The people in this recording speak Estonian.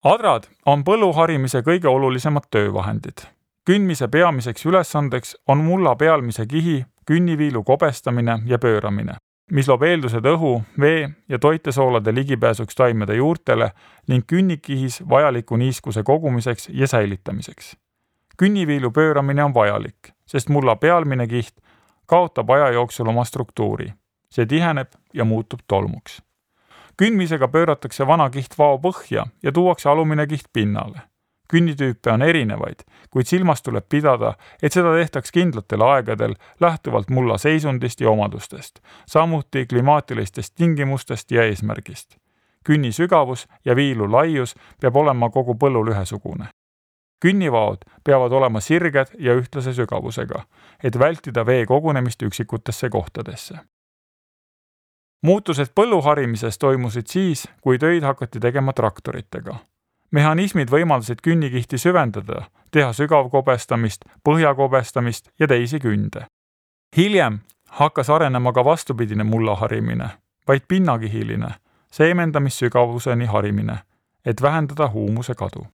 Adrad on põlluharimise kõige olulisemad töövahendid. Kündmise peamiseks ülesandeks on mulla pealmise kihi, künniviilu kobestamine ja pööramine, mis loob eeldused õhu, vee ja toitesoolade ligipääsuks taimede juurtele ning künnikihis vajaliku niiskuse kogumiseks ja säilitamiseks. Künniviilu pööramine on vajalik, sest mulla pealmine kiht kaotab aja jooksul oma struktuuri. See tiheneb ja muutub tolmuks. Kündmisega pööratakse vana kiht vao põhja ja tuuakse alumine kiht pinnale. Künnitüüpe on erinevaid, kuid silmas tuleb pidada, et seda tehtaks kindlatel aegadel lähtuvalt mulla seisundist ja omadustest, samuti klimaatilistest tingimustest ja eesmärgist. Künni sügavus ja viilu laius peab olema kogu põllul ühesugune. Künnivaod peavad olema sirged ja ühtlase sügavusega, et vältida vee kogunemist üksikutesse kohtadesse. Muutused põlluharimises toimusid siis, kui töid hakati tegema traktoritega. Mehhanismid võimaldasid künnikihti süvendada, teha sügavkobestamist, põhjakobestamist ja teisi künde. Hiljem hakkas arenema ka vastupidine mullaharimine, vaid pinnakihiline, seemendamissügavuseni harimine, et vähendada huumuse kadu.